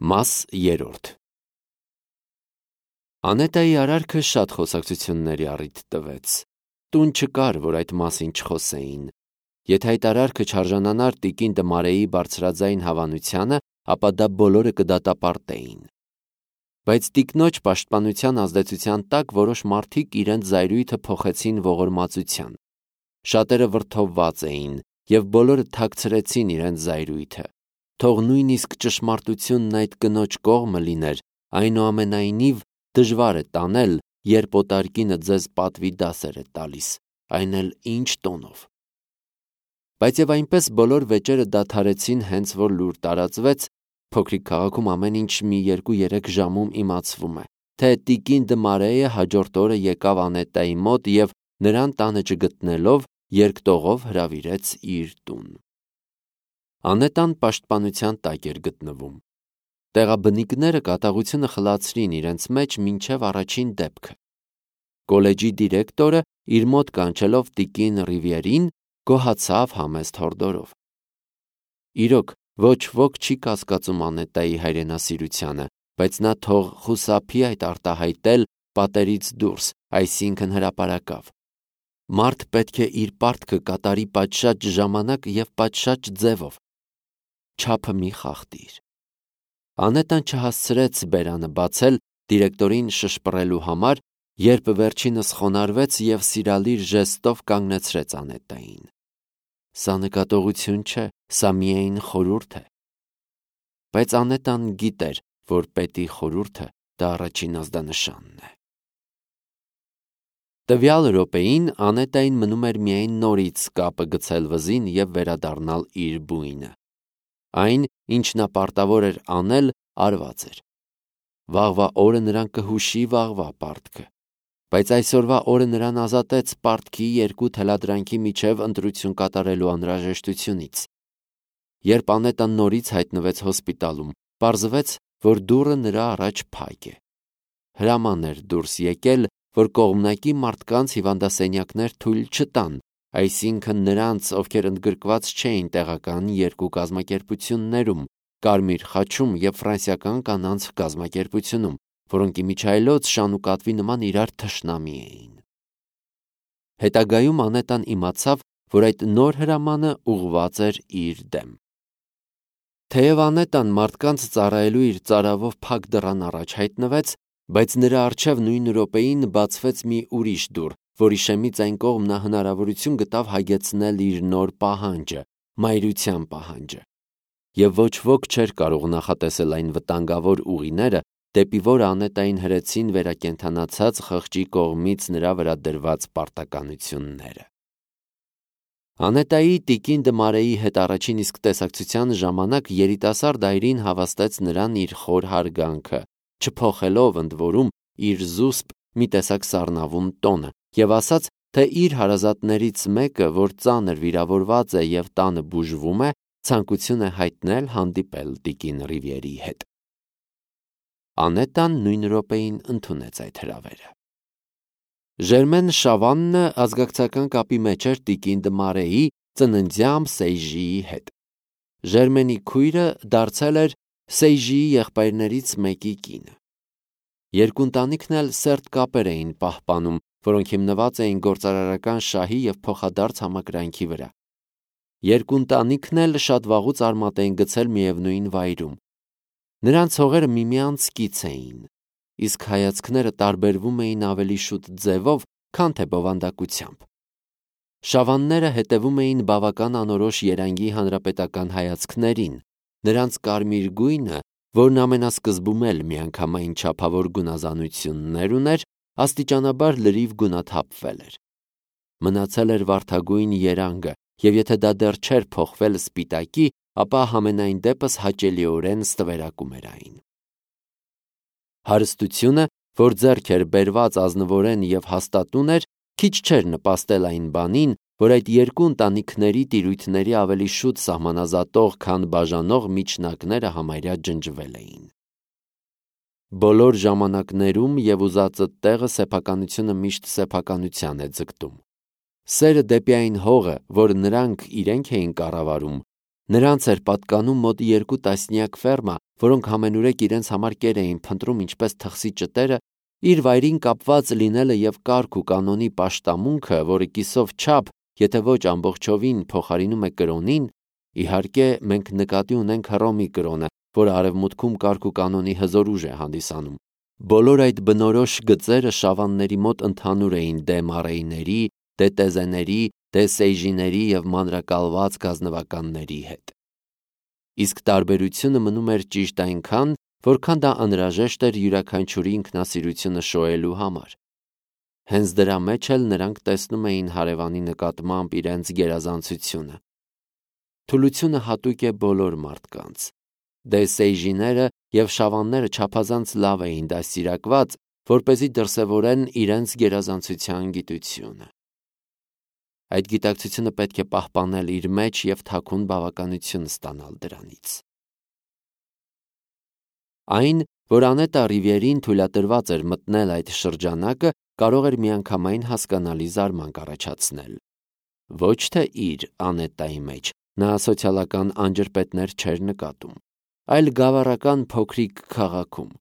Մաս 3 Անետայի արարքը շատ խոսակցությունների առիթ տվեց։ Տուն չկար, որ այդ մասին չխոսեին։ Եթե այդ արարքը չարժանանար տիկին Դմարեի բարձրաձայն հավանությանը, ապա դա բոլորը կդատապարտեին։ Բայց տիկնոջ պաշտպանության ազդեցության տակ որոշ մարդիկ իրենց զայրույթը փոխեցին ողորմածության։ Շատերը վրդովված էին, և բոլորը թաքցրեցին իրենց զայրույթը։ Թող նույնիսկ ճշմարտությունն այդ կնոջ կողմը լիներ, այնուամենայնիվ դժվար է տանել, երբ օտարկինը ձեզ պատվի դասեր է տալիս, այն էլ ինչ տոնով։ Բայց և այնպես բոլոր վեճերը դադարեցին, հենց որ լուր տարածվեց, փոքրիկ քաղաքում ամեն ինչ մի 2-3 ժամում իմացվում է, թե տիկին Դմարեը հաջորդ օրը եկավ Անետայի մոտ և նրան տանը չգտնելով, երկտողով հրավիրեց իր տուն։ Անետան պաշտպանության տակ էր գտնվում։ Տեղաբնիկները կատաղությունը խլացրին իրենց մեջ մինչև առաջին դեպքը։ Կոլեջի դիրեկտորը իր մոտ կանչելով տիկին Ռիվիերին գոհացավ համեստ հորդորով։ Իրոք, ոչ ոք չի կասկածում Անետայի հայրենասիրությանը, բայց նա թող խուսափի այդ արտահայտել պատերից դուրս, այսինքն հրապարակավ։ Մարդ պետք է իր պարտքը կատարի պատշաճ ժամանակ և պատշաճ ձևով։ Չափը մի խախտիր։ Անետան չհասցրեց բերանը բացել դիրեկտորին շշպռելու համար, երբ վերջինս խոնարհվեց և սիրալիր ժեստով կանգնեցրեց Անետային։ Սա նկատողություն չէ, սա միայն խորհուրդ է։ Բայց Անետան գիտեր, որ պետի խորհուրդը դա առաջին ազդանշանն է։ Տվյալ րոպեին Անետային մնում էր միայն նորից կապը գցել վզին և վերադառնալ իր բույնը։ Այն, ինչ նա պարտավոր էր անել, արված էր։ Վաղվա օրը նրան կհուշի վաղվա պարտքը։ Բայց այսօրվա օրը նրան ազատեց պարտքի երկու թելադրանքի միջև ընտրություն կատարելու անհրաժեշտությունից։ Երբ Անետան նորից հայտնվեց հոսպիտալում, պարզվեց, որ դուռը նրա առաջ փակ է։ Հրաման էր դուրս եկել, որ կողմնակի մարդկանց հիվանդասենյակներ թույլ չտան, այսինքն նրանց, ովքեր ընդգրկված չէին տեղական երկու կազմակերպություններում՝ Կարմիր խաչում և ֆրանսիական կանանց կազմակերպությունում, որոնք իմիջիայլոց շան ու կատվի նման իրար թշնամի էին։ Հետագայում Անետան իմացավ, որ այդ նոր հրամանը ուղղված էր իր դեմ։ Թեև Անետան մարդկանց ծառայելու իր ծարավով փակ դռան առաջ հայտնվեց, բայց նրա առջև նույն րոպեին բացվեց մի ուրիշ դուռ, որի շեմից այն կողմ նա հնարավորություն գտավ հագեցնել իր նոր պահանջը՝ մայրության պահանջը։ Եվ ոչ ոք չէր կարող նախատեսել այն վտանգավոր ուղիները, դեպի որ Անետային հրեցին վերակենդանացած խղճի կողմից նրա վրա դրված պարտականությունները։ Անետայի տիկին Դմարեի հետ առաջին իսկ տեսակցության ժամանակ երիտասարդ այրին հավաստեց նրան իր խոր հարգանքը, չփոխելով ընդ որում իր զուսպ մի տեսակ սառնավուն տոնը, և ասաց, թե իր հարազատներից մեկը, որ ծանր վիրավորված է և տանը բուժվում է, ցանկություն է հայտնել հանդիպել տիկին Ռիվիերի հետ։ Անետան նույն րոպեին ընդունեց այդ հրավերը։ Ժերմեն Շավաննը ազգակցական կապի մեջ էր տիկին Դմարեի ծննդյան Սեյժիի հետ։ Ժերմենի քույրը դարձել էր Սեյժիի եղբայրներից մեկի կինը։ Երկու ընտանիքն էլ սերտ կապեր էին պահպանում, որոնք հիմնված էին գործարարական շահի և փոխադարձ համակրանքի վրա։ Երկու ընտանիքն էլ շատ վաղուց արմատ էին գցել միևնույն վայրում։ Նրանց հողերը միմյանց կից էին, իսկ հայացքները տարբերվում էին ավելի շուտ ձևով, քան թե բովանդակությամբ։ Շավանները հետևում էին բավական անորոշ երանգի հանրապետական հայացքներին, նրանց կարմիր գույնը, որն ամենասկզբում էլ միանգամայն չափավոր գունազանություններ ուներ, աստիճանաբար լրիվ գունաթափվել էր։ Մնացել էր վարդագույն երանգը, և եթե դա դեռ չէր փոխվել սպիտակի, ապա համենայն դեպս հաճելիորեն ստվերակում էր այն։ Հարստությունը, որ ձեռք էր բերված ազնվորեն և հաստատուն էր, քիչ չէր նպաստել այն բանին, որ այդ երկու ընտանիքների տիրույթների ավելի շուտ սահմանազատող, քան բաժանող միջնակները համարյա ջնջվել էին։ Բոլոր ժամանակներում և ուզածդ տեղը սեփականությունը միշտ սեփականության է ձգտում։ Սերը դեպի այն հողը, որ նրանք իրենք էին կառավարում, Նրանց էր պատկանում մոտ 2 տասնյակ ֆերմա, որոնք ամենուրեք իրենց համար կեր էին փնտրում ինչպես թխսի ճտերը, իր վայրին կապված լինելը եւ կարգ ու կանոնի պաշտամունքը, որը կիսով չափ, եթե ոչ ամբողջովին փոխարինում է կրոնին, իհարկե մենք նկատի ունենք Հռոմի կրոնը, որը արևմուտքում կարգ ու կանոնի հզոր ուժ է հանդիսանում։ Բոլոր այդ բնորոշ գծերը շավանների մոտ ընդհանուր էին դե մարեիների, դե տեզեների, դե սեյժիների եւ մանրակալված գազնվականների հետ։ Իսկ տարբերությունը մնում էր ճիշտ այնքան, որքան դա անհրաժեշտ էր յուրաքանչյուրի ինքնասիրությունը շոյելու համար։ Հենց դրա մեջ էլ նրանք տեսնում էին հարևանի նկատմամբ իրենց գերազանցությունը։ Թուլությունը հատուկ է բոլոր մարդկանց։ Դե սեյժիները եւ շավանները չափազանց լավ էին դաստիարակված, որպեսզի դրսևորեն իրենց գերազանցության գիտությունը։ Այդ գիտակցությունը պետք է պահպանել իր մեջ եւ թաքուն բավականություն ստանալ դրանից։ Այն, որ Անետա Ռիվիերին թույլատրված էր մտնել այդ շրջանակը, կարող էր միանգամայն հասկանալի զարմանք առաջացնել։ Ոչ թե իր Անետայի մեջ նա սոցիալական անջրպետներ չէր նկատում, այլ գավառական փոքրիկ քաղաքում։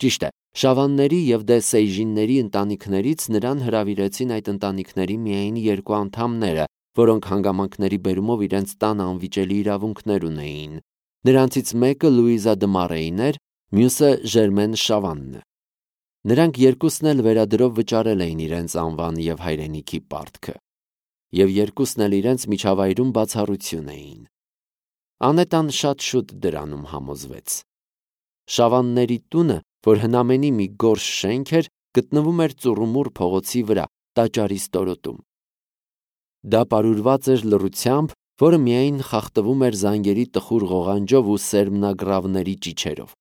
Ճիշտ է, շավանների եւ դե սեյժինների ընտանիքներից նրան հրավիրեցին այդ ընտանիքների միայն 2 անդամները, որոնք հանգամանքների բերումով իրենց տան անվիճելի իրավունքներ ունեին։ Նրանցից մեկը Լուիզա դը Մարեին էր, մյուսը Ժերմեն Շավանն։ Նրանք երկուսն էլ վերադրով վճարել էին իրենց անվան եւ հայրենիքի պարտքը, եւ երկուսն էլ իրենց միջավայրում բացառություն էին։ Անետան շատ շուտ դրանում համոզվեց։ Շավանների տունը, որ հնամենի մի գորշ շենք էր, գտնվում էր Ծուռումուռ փողոցի վրա, տաճարի ստորոտում։ Դա պարուրված էր լռությամբ, որը միայն խախտվում էր զանգերի տխուր ղողանջով ու սերմնագրավների ճիչերով։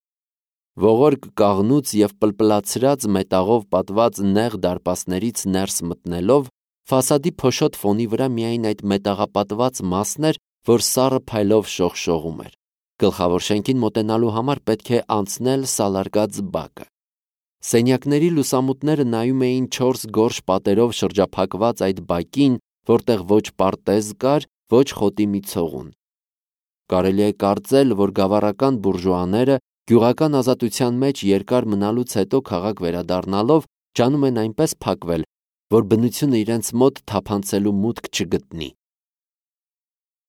Ողորկ կաղնուց եւ պլպլացրած մետաղով պատված նեղ դարպասներից ներս մտնելով, ֆասադի փոշոտ ֆոնի վրա միայն այդ մետաղապատված մասն էր, որ սառը փայլով շողշողում էր։ Գլխավոր շենքին մոտենալու համար պետք է անցնել սալարկած բակը։ Սենյակների լուսամուտները նայում էին 4 գորշ պատերով շրջափակված այդ բակին, որտեղ ոչ պարտեզ կար, ոչ խոտի մի ցողուն։ Կարելի է կարծել, որ գավառական բուրժուաները գյուղական ազատության մեջ երկար մնալուց հետո քաղաք վերադառնալով ջանում են այնպես փակվել, որ բնությունը իրենց մոտ թափանցելու մուտք չգտնի։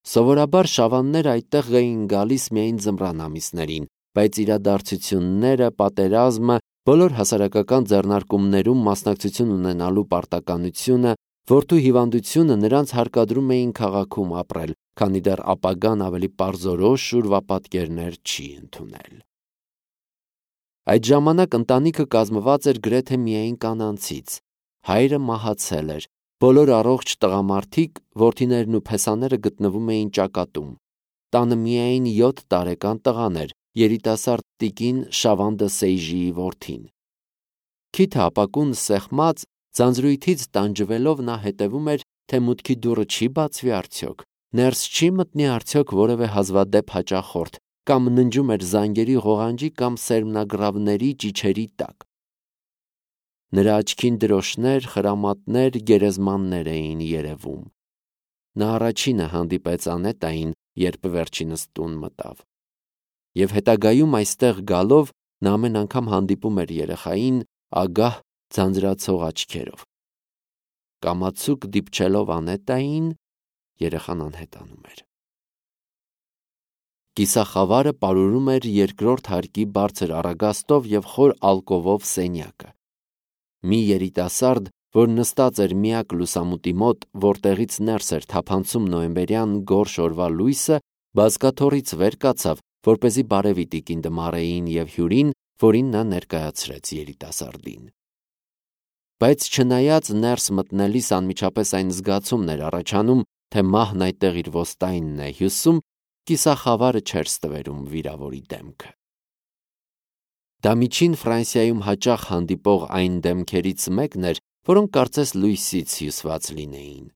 Սովորաբար շավանները այդտեղ էին գալիս միայն ձմռան ամիսներին, բայց իրադարձությունները, պատերազմը, բոլոր հասարակական ձեռնարկումներում մասնակցություն ունենալու պարտականությունը, որդու հիվանդությունը նրանց հարկադրում էին քաղաքում ապրել, քանի դեռ ապագան ավելի պարզորոշ ուրվապատկերներ չի ընդունել։ Այդ ժամանակ ընտանիքը կազմված էր գրեթե միայն կանանցից։ Հայրը մահացել էր, բոլոր առողջ տղամարդիկ, որդիներն ու փեսաները գտնվում էին ճակատում։ Տանը միայն 7 տարեկան տղան էր, երիտասարդ տիկին Շավան դը Սեյժիի որդին։ Քիթը ապակուն սեղմած, ձանձրույթից տանջվելով նա հետևում էր, թե մուտքի դուռը չի բացվի արդյոք, ներս չի մտնի արդյոք որևէ հազվադեպ հաճախորդ, կամ ննջում էր զանգերի ղողանջի կամ սերմնագրավների ճիչերի տակ։ Նրա աչքին դրոշներ, խրամատներ, գերեզմաններ էին երևում։ Նա առաջինը հանդիպեց Անետային, երբ վերջինս տուն մտավ։ Եվ հետագայում այստեղ գալով նա ամեն անգամ հանդիպում էր երեխային ագահ ձանձրացող աչքերով։ Կամացուկ դիպչելով Անետային, երեխան անհետանում էր։ Կիսախավարը պարուրում էր երկրորդ հարկի բարձր առագաստով եւ խոր ալկովով սենյակը։ Մի երիտասարդ, որ նստած էր միակ լուսամուտի մոտ, որտեղից ներս էր թափանցում նոյեմբերյան գորշ օրվա լույսը, բազկաթոռից վեր կացավ, որպեսզի բարևի տիկին դը Մարեին եւ հյուրին, որին նա ներկայացրեց երիտասարդին։ Բայց չնայած ներս մտնելիս անմիջապես այն զգացումն էր առաջանում, թե մահն այդտեղ իր ոստայինն է հյուսում, կիսախավարը չէր ստվերում վիրավորի դեմքը։ Դա միջին Ֆրանսիայում հաճախ հանդիպող այն դեմքերից մեկն էր, որոնք կարծես լույսից հյուսված լինեին։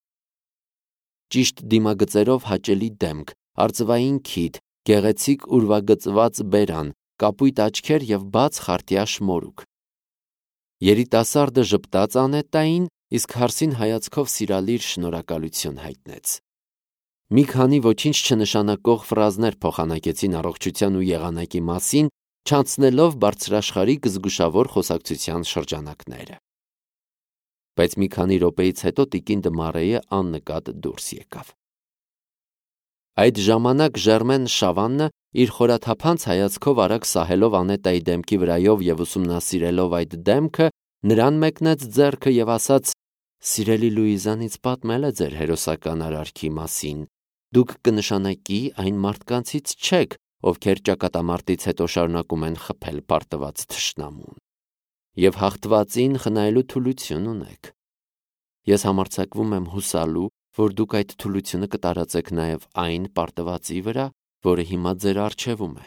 Ճիշտ դիմագծերով հաճելի դեմք, արծվային քիթ, գեղեցիկ ուրվագծված բերան, կապույտ աչքեր եւ բաց խարտյա շմորուկ։ Երիտասարդը ժպտաց Անետային, իսկ հարսին հայացքով սիրալիր շնորհակալություն հայտնեց։ Մի քանի ոչինչ չնշանակող ֆրազներ փոխանակեցին առողջության ու եղանակի մասին, չանցնելով բարձրաշխարհիկ զգուշավոր խոսակցության շրջանակները։ Բայց մի քանի րոպեից հետո տիկին Դմարեյը աննկատ դուրս եկավ։ Այդ ժամանակ Ժերմեն Շավաննը իր խորաթափանց հայացքով արագ սահելով Անետայի դեմքի վրայով եւ ուսումնասիրելով այդ դեմքը, նրան մեկնեց ձեռքը եւ ասաց. «Սիրելի Լուիզան ինձ պատմել է ձեր հերոսական արարքի մասին։ Դուք կնշանակի այն մարդկանցից չեք, ովքեր ճակատամարտից հետո շարունակում են խփել պարտված թշնամուն, եւ հաղթվածին խնայելու թուլություն ունեք։ Ես համարձակվում եմ հուսալու, որ դուք այդ թուլությունը կտարածեք նաեւ այն պարտվածի վրա, որը հիմա ձեր առջևում է»։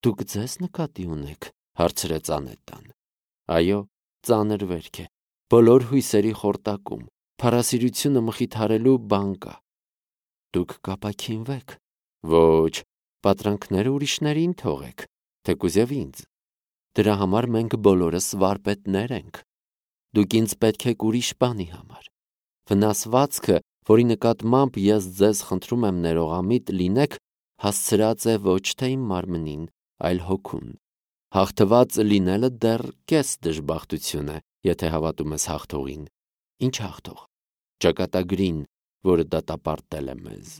«Դուք ձեզ նկատի ունեք», հարցրեց Անետան։ «Այո, ծանր վերք է, բոլոր հույսերի խորտակում, փառասիրությունը մխիթարելու բան կա։ Դուք կապաքինվեք։ Ոչ, պատրանքները ուրիշներին թողեք, թեկուզ եւ ինձ։ Դրա համար մենք բոլորս վարպետներ ենք։ Դուք ինձ պետք եք ուրիշ բանի համար։ Վնասվածքը, որի նկատմամբ ես ձեզ խնդրում եմ ներողամիտ լինեք, հասցրած է ոչ թե իմ մարմնին, այլ հոգուն։ Հաղթված լինելը դեռ կես դժբախտություն է, եթե հավատում ես հաղթողին։ Ինչ հաղթող։ Ճակատագրին, որը դատապարտել է մեզ։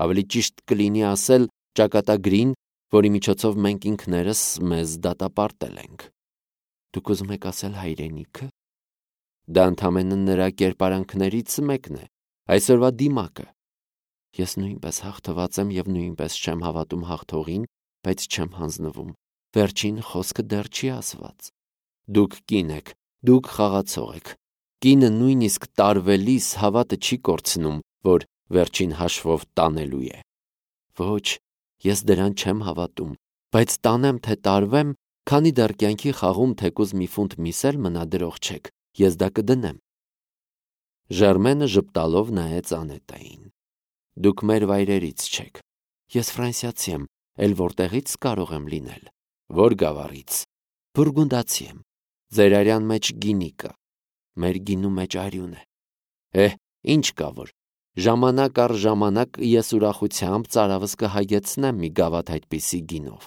Ավելի ճիշտ կլինի ասել ճակատագրին, որի միջոցով մենք ինքներս մեզ դատապարտել ենք։ Դուք ուզում եք ասել հայրենիքը։ Դա ընդամենը նրա կերպարանքներից մեկն է, այսօրվա դիմակը։ Ես նույնպես հաղթված եմ եւ նույնպես չեմ հավատում հաղթողին, բայց չեմ հանձնվում։ Վերջին խոսքը դեռ չի ասված։ Դուք կին եք, դուք խաղացող եք։ Կինը նույնիսկ տարվելիս հավատը չի կորցնում, որ վերջին հաշվով տանելու է։ Ոչ, ես դրան չեմ հավատում, բայց տանեմ թե տարվեմ, քանի դեռ կյանքի խաղում թեկուզ մի ֆունտ միս էլ մնա դրող չեք, ես դա կդնեմ։ Ժերմենը ժպտալով նայեց Անետային։ Դուք մեր վայրերից չեք։ Ես ֆրանսիացի եմ, էլ որտեղից կարող եմ լինել։ Որ գավառից։ Բուրգունդացի եմ։ Ձեր արյան մեջ գինի կա։ Մեր գինու մեջ արյուն է։ Ինչ կա որ։ Ժամանակ առ ժամանակ ես ուրախությամբ ծարավս կհագեցնեմ մի գավաթ այդպիսի գինով։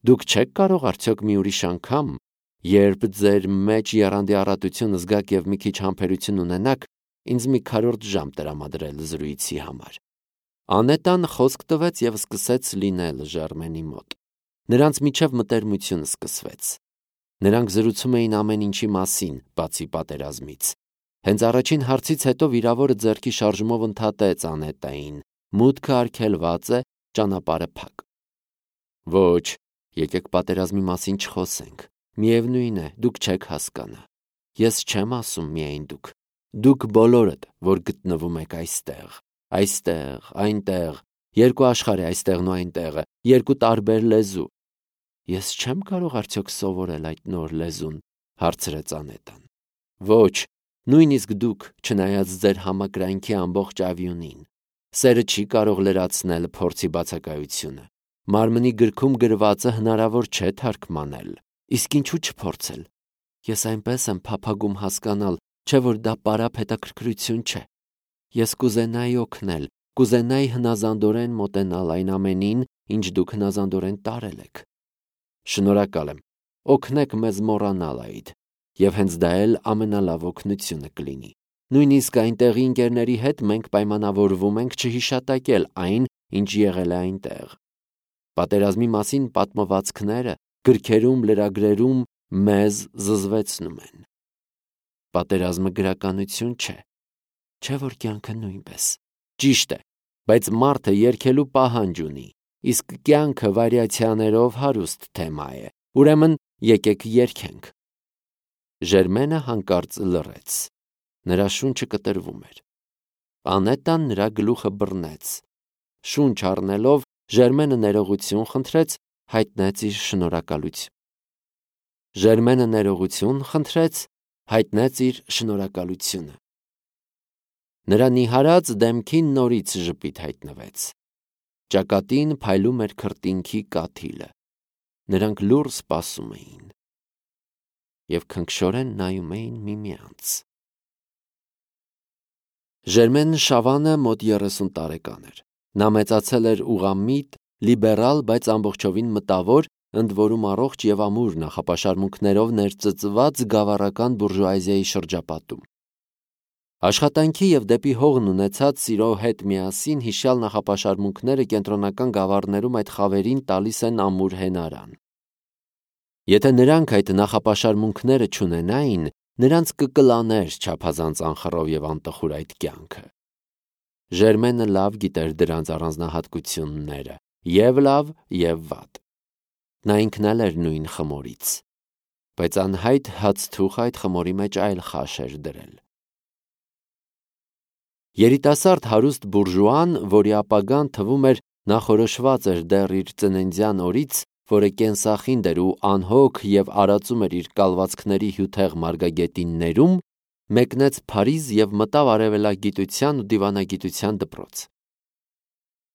Դուք չեք կարող արդյոք մի ուրիշ անգամ, երբ ձեր մեջ եռանդի առատություն զգաք եւ մի քիչ համբերություն ունենաք, ինձ մի քառորդ ժամ տրամադրել զրույցի համար։ Անետան խոսք տվեց եւ սկսեց լինել Ժերմենի մոտ։ Նրանց միջև մտերմություն սկսվեց։ Նրանք զրուցում էին ամեն ինչի մասին, բացի պատերազմից։ Հենց առաջին հարցից հետո վիրավորը ձեռքի շարժումով ընդհատեց Անետային. մուտքը արգելված է, ճանապարհը փակ։ Ոչ, եկեք պատերազմի մասին չխոսենք։ Միևնույն է, դուք չեք հասկանա։ Ես չեմ ասում միայն դուք։ Դուք բոլորդ, որ գտնվում եք այստեղ, այնտեղ, երկու աշխարհ է այստեղն ու այնտեղը, երկու տարբեր լեզու։ Ես չեմ կարող արդյոք սովորել այդ նոր լեզուն, հարցրեց Անետան։ Ոչ, նույնիսկ դուք, չնայած ձեր համակրանքի ամբողջ ավյունին։ Սերը չի կարող լրացնել փորձի բացակայությունը։ Մարմնի գրքում գրվածը հնարավոր չէ թարգմանել։ Իսկ ինչու չփորձել։ Ես այնպես եմ փափագում հասկանալ, չէ որ դա պարապ հետաքրքրություն չէ։ Ես կուզենայի օգնել, կուզենայի հնազանդորեն մոտենալ այն ամենին, ինչ դուք հնազանդորեն տարել եք։ Շնորհակալ եմ։ Օգնեք մեզ մոռանալ այդ, եւ հենց դա էլ ամենալավ օգնությունը կլինի։ Նույնիսկ այնտեղի ընկերների հետ մենք պայմանավորվում ենք չհիշատակել այն, ինչ եղել է այնտեղ։ Պատերազմի մասին պատմվածքները գրքերում, լրագրերում մեզ զզվեցնում են։ Պատերազմը գրականություն չէ։ Չէ որ կյանքը նույնպես։ Ճիշտ է, բայց մարդը երգելու պահանջ ունի, իսկ կյանքը վարիացիաներով հարուստ թեմա է։ Ուրեմն եկեք երգենք։ Ժերմենը հանկարծ լռեց։ Նրա շունչը կտրվում էր։ Անետան նրա գլուխը բռնեց։ Շունչ առնելով Ժերմենը ներողություն խնդրեց, հայտնեց իր շնորհակալությունը։ Նրա նիհարած դեմքին նորից ժպիտ հայտնվեց։ Ճակատին փայլում էր քրտինքի կաթիլը։ Նրանք լուռ սպասում էին եւ քնքշորեն նայում էին միմյանց։ Ժերմեն Շավանը մոտ 30 տարեկան էր։ Նա մեծացել էր ուղղամիտ, լիբերալ, բայց ամբողջովին մտավոր, ընդ որում առողջ եւ ամուր նախապաշարմունքներով ներծծված գավառական բուրժուազիայի շրջապատում։ Աշխատանքի եւ դեպի հողն ունեցած սիրո հետ միասին հիշյալ նախապաշարմունքները կենտրոնական գավառներում այդ խավերին տալիս են ամուր հենարան։ Եթե նրանք այդ նախապաշարմունքները չունենային, նրանց կկլաներ չափազանց անխռով եւ անտխուր այդ կյանքը։ Ժերմենը լավ գիտեր դրանց առանձնահատկությունները, եւ լավ, եւ վատ։ Նա ինքն էլ էր նույն խմորից, բայց անհայտ հացթուխ այդ խմորի մեջ այլ խաշ էր դրել։ Երիտասարդ հարուստ բուրժուան, որի ապագան թվում էր նախորոշված էր դեռ իր ծննդյան օրից, որը կենսախինդ էր ու անհոգ եւ արածում էր իր կալվածքների հյութեղ մարգագետիններում, մեկնեց Փարիզ եւ մտավ արևելագիտության ու դիվանագիտության դպրոց։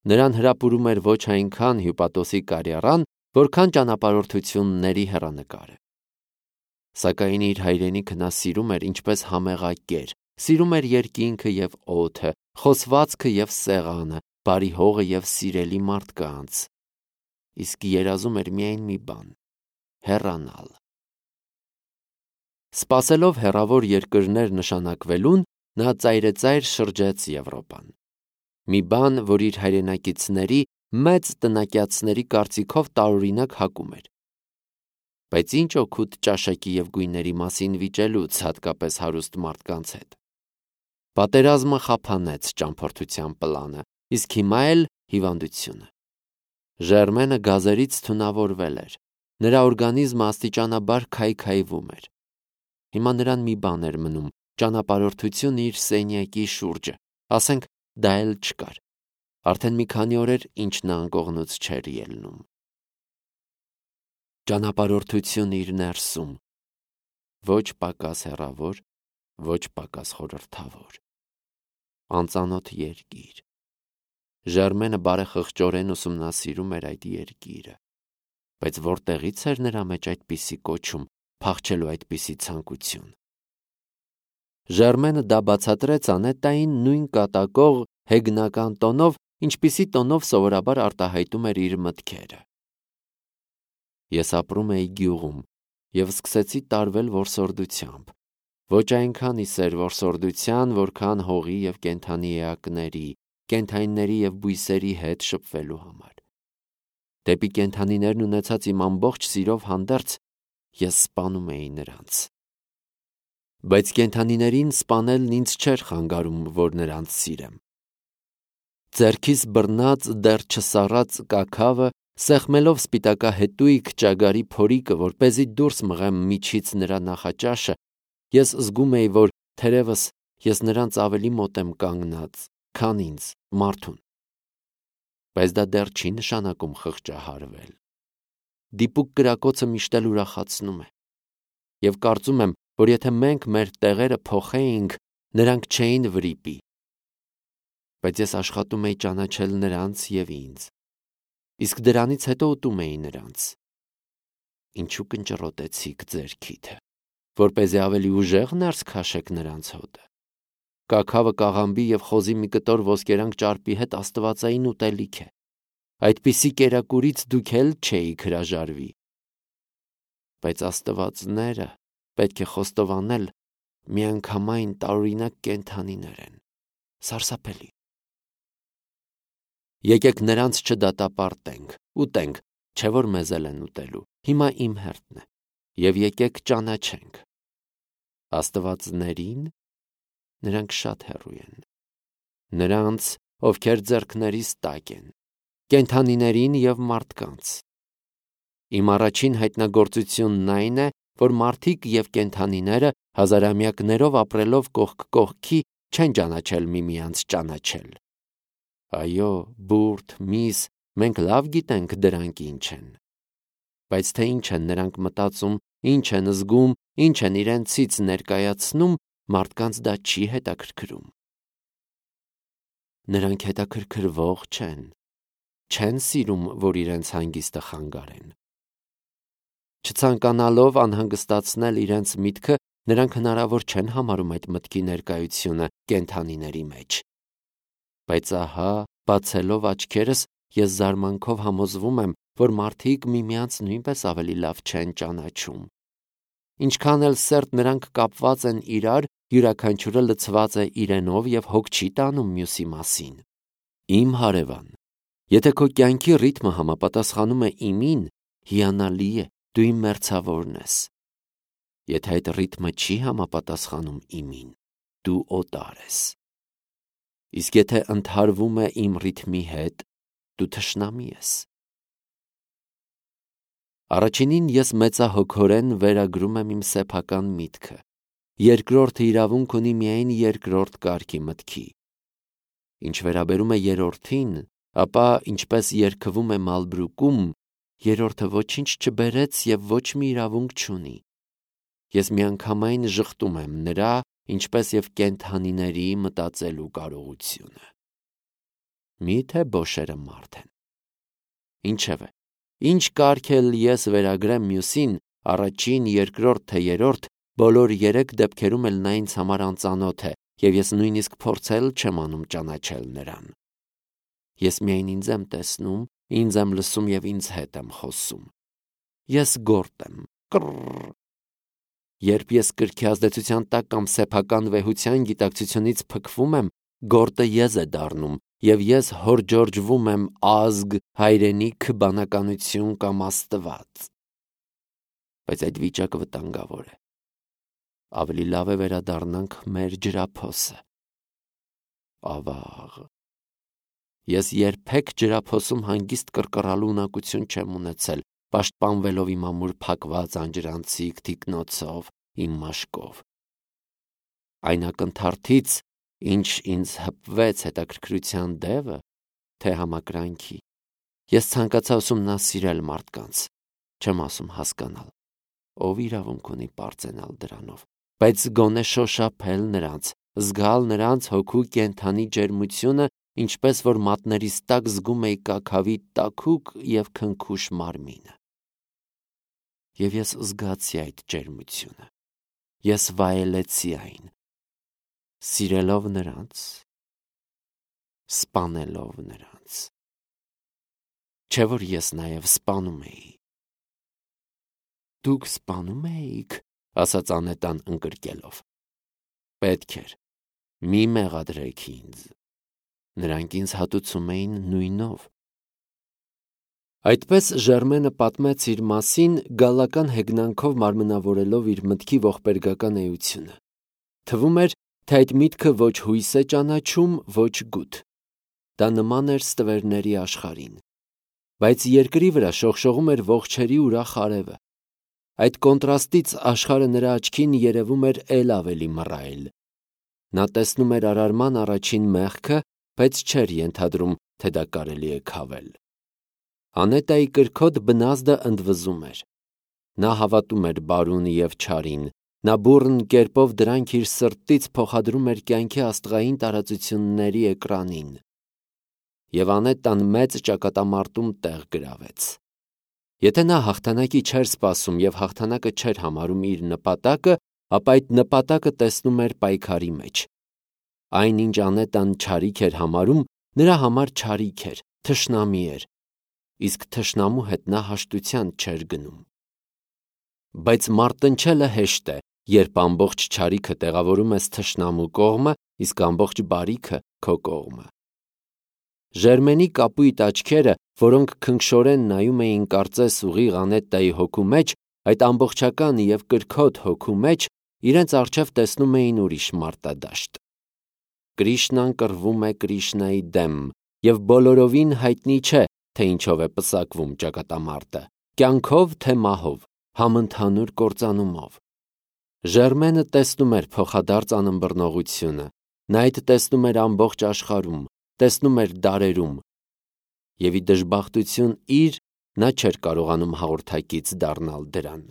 Նրան հրապուրում էր ոչ այնքան հյուպատոսի կարիերան, որքան ճանապարհորդությունների հեռանկարը։ Սակայն իր հայրենիքը նա սիրում էր ինչպես համեղակեր, սիրում էր երկինքը եւ օդը, խոսվածքը եւ սեղանը, բարի հողը եւ սիրելի մարդկանց։ Իսկ երազում էր միայն մի բան՝ հեռանալ։ Սպասելով հեռավոր երկրներ նշանակվելուն, նա ծայրեծայր շրջեց Եվրոպան։ Մի բան, որ իր հայրենակիցների մեծ տնակյացների կարծիքով տարօրինակ հակում էր։ Բայց ինչ օգուտ ճաշակի եւ գույների մասին վիճելուց, հատկապես հարուստ մարդկանց հետ։ Պատերազմը խափանեց ճամփորդության պլանը, իսկ հիմա էլ հիվանդությունը։ Ժերմենը գազերից թունավորվել էր։ Նրա օրգանիզմը աստիճանաբար քայքայվում էր։ Հիմա նրան մի բան էր մնում՝ ճանապարհորդություն իր սենյակի շուրջը, ասենք դա էլ չկար։ Արդեն մի քանի օր էր, ինչ նա անկողնուց չէր ելնում։ Ճանապարհորդություն իր ներսում, ոչ պակաս հեռավոր, ոչ պակաս խորհրդավոր, անծանոթ երկիր։ Ժերմենը բարեխղճորեն ուսումնասիրում էր այդ երկիրը, բայց որտեղից էր նրա մեջ այդպիսի կոչում, փախչելու այդպիսի ցանկություն։ Ժերմենը դա բացատրեց Անետային նույն կատակող հեգնական տոնով, ինչպիսի տոնով սովորաբար արտահայտում էր իր մտքերը։ Ես ապրում էի գյուղում եւ սկսեցի տարվել որսորդությամբ, ոչ այնքան իսեր որսորդության, որքան հողի եւ կենդանի էակների, կենդանիների եւ բույսերի հետ շփվելու համար։ Դեպի կենդանիներն ունեցած իմ ամբողջ սիրով հանդերձ ես սպանում էի նրանց։ Բայց կենդանիներին սպանելն ինձ չէր խանգարում, որ նրանց սիրեմ։ Ձեռքիս բռնած դեռ չսառած կաքավը, սեղմելով սպիտակահետույք ճագարի փորիկը, որպեսզի դուրս մղեմ միջից նրա նախաճաշը, ես զգում էի, որ թերևս ես նրանց ավելի մոտ եմ կանգնած, քան ինձ, մարդուն։ Բայց դա դեռ չի նշանակում խղճահարվել։ Դիպուկ կրակոցը միշտ էլ ուրախացնում է։ Եվ կարծում եմ, որ եթե մենք մեր տեղերը փոխեինք, նրանք չէին վրիպի։ Բայց ես աշխատում էի ճանաչել նրանց եւ ինձ։ Իսկ դրանից հետո ուտում էի նրանց։ Ինչու կնճռոտեցիք ձեր քիթը, որպեսզի ավելի ուժեղ ներս քաշեք նրանց հոտը։ Կաքավը կաղամբի եւ խոզի մի կտոր ոսկերանք ճարպի հետ աստվածային ուտելիք է։ Այդպիսի կերակուրից դուք էլ չէիք հրաժարվի։ Բայց աստվածները, պետք է խոստովանել, միանգամայն տարօրինակ կենդանիներ են, սարսափելի։ Եկեք նրանց չդատապարտենք, ուտենք, չէ որ մեզ էլ են ուտելու, հիմա իմ հերթն է, եւ եկեք ճանաչենք։ Աստվածներին նրանք շատ հեռու են, նրանց, ովքեր ձեռքներիս տակ են, կենդանիներին եւ մարդկանց։ Իմ առաջին հայտնագործությունն այն է, որ մարդիկ եւ կենդանիները հազարամյակներով ապրելով կողք կողքի չեն ճանաչել միմյանց ճանաչել։ Այո, բուրդ, միս, մենք լավ գիտենք դրանք ինչ են։ Բայց թե ինչ են նրանք մտածում, ինչ են զգում, ինչ են իրենցից ներկայացնում, մարդկանց դա չի հետաքրքրում։ Նրանք հետաքրքրվող չեն սիրում, որ իրենց հանգիստը խանգարեն։ Չցանկանալով անհանգստացնել իրենց միտքը, նրանք հնարավոր չեն համարում այդ մտքի ներկայությունը կենդանիների մեջ։ Բայց ահա, բացելով աչքերս, ես զարմանքով համոզվում եմ, որ մարդիկ միմյանց նույնպես ավելի լավ չեն ճանաչում։ Ինչքան էլ սերտ նրանք կապված են իրար, յուրաքանչյուրը լցված է իրենով և հոգ չի տանում մյուսի մասին։ Իմ հարևան, եթե քո կյանքի ռիթմը համապատասխանում է իմին, հիանալի է, դու իմ մերձավորն ես։ Եթե այդ ռիթմը չի համապատասխանում իմին, դու օտար ես։ Իսկ եթե ընդհարվում է իմ ռիթմի հետ, դու թշնամի ես։ Առաջինին ես մեծահոգորեն վերագրում եմ իմ սեփական միտքը, երկրորդը իրավունք ունի միայն երկրորդ կարգի մտքի։ Ինչ վերաբերում է երրորդին, ապա ինչպես երգվում է Մալբրուկում, երրորդը ոչինչ չբերեց և ոչ մի իրավունք չունի։ Ես միանգամայն ժխտում եմ նրա, ինչպես և կենդանիների մտածելու կարողությունը։ Մի՞թե բոշերը մարդ են։ Ինչևէ, ինչ կարգ էլ ես վերագրեմ մյուսին, առաջին, երկրորդ, թե երրորդ, բոլոր երեք դեպքերում էլ նա ինձ համար անծանոթ է, և ես նույնիսկ փորձել չեմ անում ճանաչել նրան։ Ես միայն ինձ եմ տեսնում, ինձ եմ լսում և ինձ հետ եմ խոսում։ Ես գորտ եմ, կռռռ։ Երբ ես կրքի ազդեցության տակ կամ սեփական վեհության գիտակցությունից փքվում եմ, գորտը ես է դառնում, և ես հորջորջվում եմ ազգ, հայրենիք, բանականություն կամ Աստված։ Բայց այդ վիճակը վտանգավոր է։ Ավելի լավ է վերադառնանք մեր ջրափոսը։ Ավաղ։ Ես երբեք ջրափոսում հանգիստ կռկռալու ունակություն չեմ ունեցել, պաշտպանվելով իմ ամուր փակված անջրանցիկ թիկնոցով, իմ մաշկով։ Այն ակնթարթից, ինչ ինձ հպվեց հետաքրքրության դևը, թե համակրանքի, ես ցանկացա ուսումնասիրել մարդկանց, չեմ ասում հասկանալ, ով իրավունք ունի պարծենալ դրանով, բայց գոնե շոշափել նրանց, զգալ նրանց հոգու կենդանի ջերմությունը, ինչպես որ մատներիս տակ զգում էի կաքավի տաքուկ և քնքուշ մարմինը։ Եվ ես զգացի այդ ջերմությունը, ես վայելեցի այն, սիրելով նրանց, սպանելով նրանց։ Չէ՞ որ ես նաև սպանում էի։ Դուք սպանում էիք, ասաց Անետան ընկրկելով։ Պետք էր, մի մեղադրեք ինձ։ Նրանք ինձ հատուցում էին նույնով։ Այդպես Ժերմենը պատմեց իր մասին, գալական հեգնանքով մարմնավորելով իր մտքի ողբերգական էությունը։ Թվում էր, թե այդ միտքը ոչ հույս է ճանաչում, ոչ գութ։ Դա նման էր ստվերների աշխարհին։ Բայց երկրի վրա շողշողում էր ողջերի ուրախ արևը։ Այդ կոնտրաստից աշխարհը նրա աչքին երևում էր էլ ավելի մռայլ։ Նա տեսնում էր արարման առաջին մեղքը, բայց չէր ենթադրում, թե դա կարելի է քավել։ Անետայի կրքոտ բնազդը ընդվզում էր։ Նա հավատում էր բարուն և չարին, նա բուռն կերպով դրանք իր սրտից փոխադրում էր կյանքի աստղային տարածությունների էկրանին։ Եվ Անետան մեծ ճակատամարտում տեղ գրավեց։ Եթե նա հաղթանակի չէր սպասում և հաղթանակը չէր համարում իր նպատակը, ապա այդ նպատակը տեսնում էր պայքարի մեջ։ Այն, ինչ Անետան չարիք էր համարում, նրա համար չարիք էր, թշնամի էր, իսկ թշնամու հետ նա հաշտության չէր գնում։ Բայց մարտնչելը հեշտ է, երբ ամբողջ չարիքը տեղավորում ես թշնամու կողմը, իսկ ամբողջ բարիքը քո կողմը։ Ժերմենի կապույտ աչքերը, որոնք քնքշորեն նայում էին կարծես ուղիղ Անետայի հոգու մեջ, այդ ամբողջական և կրքոտ հոգու մեջ, իրենց առջև տեսնում էին ուրիշ մարտադաշտ։ Կրիշնան կռվում է Կրիշնայի դեմ, և բոլորովին հայտնի չէ, թե ինչով է պսակվում ճակատամարտը՝ կյանքով թե մահով, համընդհանուր կործանումով։ Ժերմենը տեսնում էր փոխադարձ անըմբռնողությունը, նա այդ տեսնում էր ամբողջ աշխարհում, տեսնում էր դարերում, և ի դժբախտություն իր, նա չէր կարողանում հաղորդակից դառնալ դրան։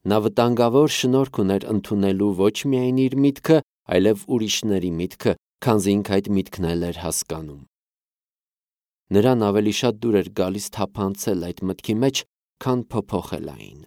Նա վտանգավոր շնորհք ուներ ընդունելու ոչ միայն իր միտքը, այլև ուրիշների միտքը, քանզի ինքը այդ միտքն էլ էր հասկանում։ Նրան ավելի շատ դուր էր գալիս թափանցել այդ մտքի մեջ, քան փոփոխել այն։